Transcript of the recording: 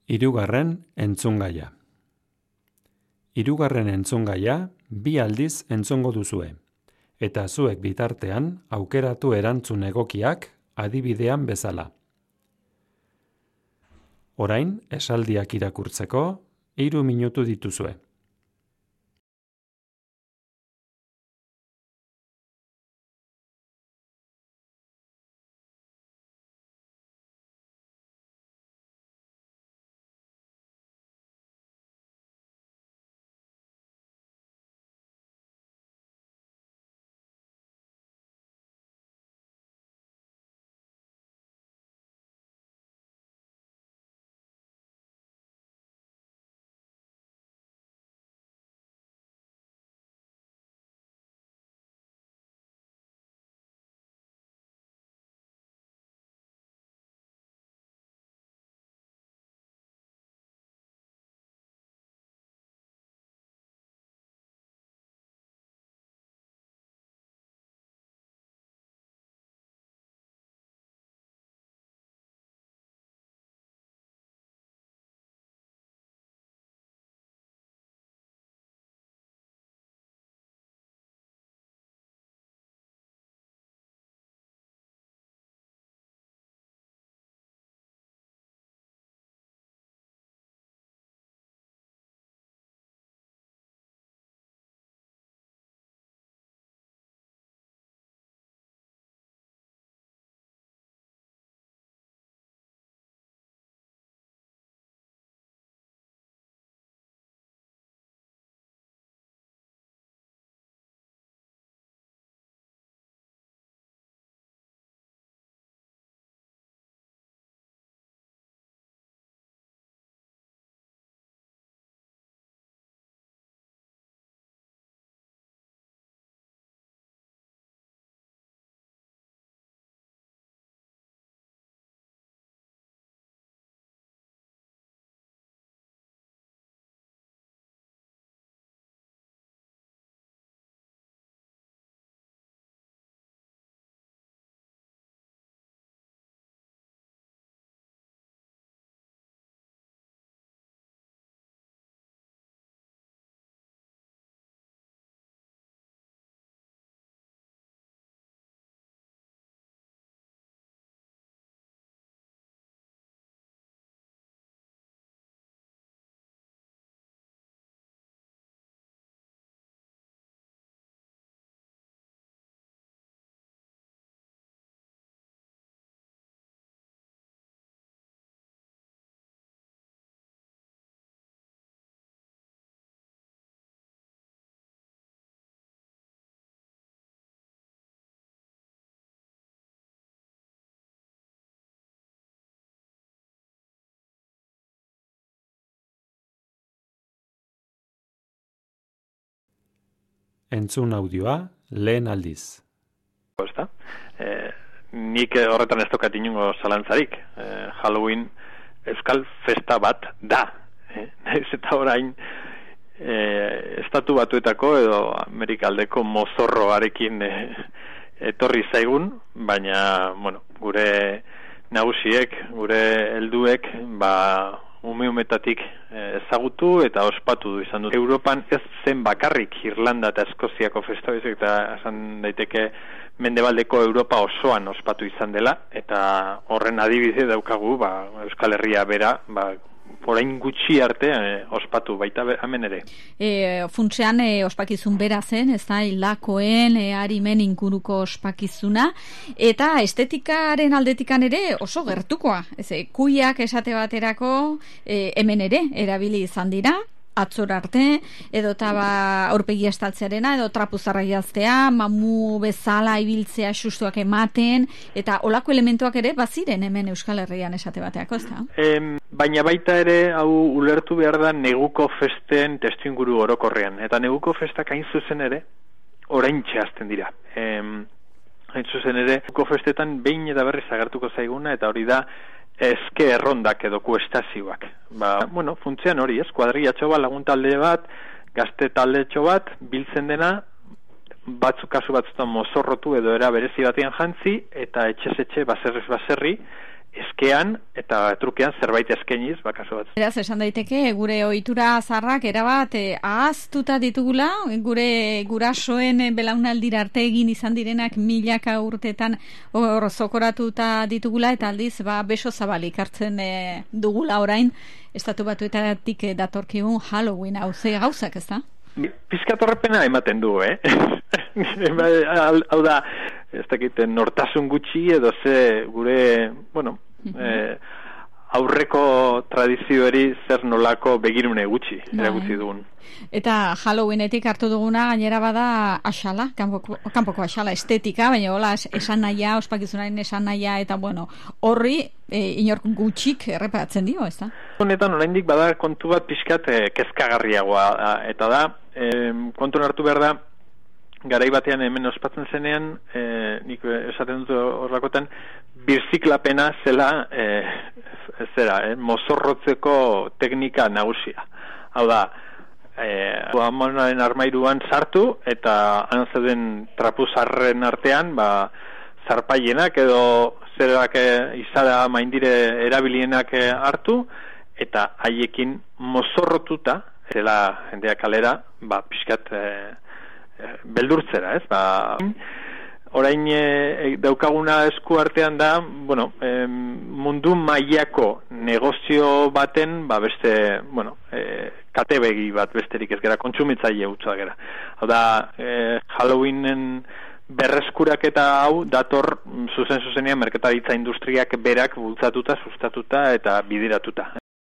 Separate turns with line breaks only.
Hirugarren entzungaia. Hirugarren entzungaia 2 aldiz entzungo duzue, eta zuek bitartean aukeratu erantzun egokiak adibidean bezala. Orain, esaldiak irakurtzeko 3 minutu dituzue. Entzun audioa lehen aldiz.
Nik horretan ez tokat inongo zalantzarik. Halloween euskal festa bat da. Naiz eta orain estatu batuetako edo Amerikaldeko mozorroarekin etorri zaigun, baina gure nagusiek, gure helduek, umetatik ezagutu eta ospatu izan dut. Europan ez zen bakarrik Irlanda eta Eskoziako festa baizik, eta esan daiteke mendebaldeko Europa osoan ospatu izan dela, eta horren adibide daukagu Euskal Herria bera, orain gutxi arte ospatu baita hemen ere.
Funtsean ospakizun bera zen, ez da, hilakoen, harimen inguruko ospakizuna, eta estetikaren aldetikan ere oso gertukoa. Kuiak esate baterako hemen ere erabili izan dira, atzor arte, edota aurpegi estaltzearena, edo trapuzarra jaztea, mamu bezala ibiltzea sustuak ematen, eta olako elementuak ere baziren hemen Euskal Herrian esate bateako, ez da?
Baina baita ere, hau ulertu behar da neguko festen testuinguru orokorrean, eta neguko festak hain zuzen ere, oraintxe hasten dira. Hain zuzen ere, neguko festetan behin eta berriz agertuko zaiguna, eta hori da, eske errondak edo kuestazioak. Funtzean hori, kuadrillatxo bat, lagun talde bat, gazte taldetxo bat, biltzen dena, kasu batzutan mozorrotu edo era berezi batean jantzi, eta etxez etxe, baserriz baserri, eskean eta trukean zerbait eskainiz, kasu bat.
Beraz, esan daiteke, gure ohitura zarrak erabat ahaztuta ditugula, gure gurasoen belaunaldira arte egin izan direnak milaka urtetan hor zokoratuta ditugula, eta aldiz, beso zabalik hartzen dugula orain, Estatu Batuetatik datorkigun Halloween hauze gauzak, ez da?
Pizkatorrepena ematen du, Hau da, ez dakit, nortasun gutxi edo ze gure, aurreko tradizioari zer nolako begirune gutxi erakutsi dugun.
Eta Halloweenetik hartu duguna gainera bada axala, kanpoko axala estetika, baina hola esan nahia, ospakizunaren esan nahia, eta horri inork gutxik erreparatzen dio, ez da?
Honetan oraindik bada kontu bat pixkat kezkagarriagoa, eta da, kontuan hartu behar da, garai batean hemen ospatzen zenean, nik esaten dut horrakotan, birziklapena zela mozorrotzeko teknika nagusia. Hau da, amonaren armairuan sartu eta han zeuden trapuzarren artean zarpaienak edo zerak izara maindire erabilienak hartu eta haiekin mozorrotuta zela jendea kalera pixkat beldurtzera, ez? Orain daukaguna esku artean da, mundu mailako negozio baten, beste, katebegi bat besterik ez gara, kontsumitzaile hutsa gara. Hau da, Halloweenen berreskuraketa hau dator zuzenean merkataritza industriak berak bultzatuta, sustatuta eta bideratuta.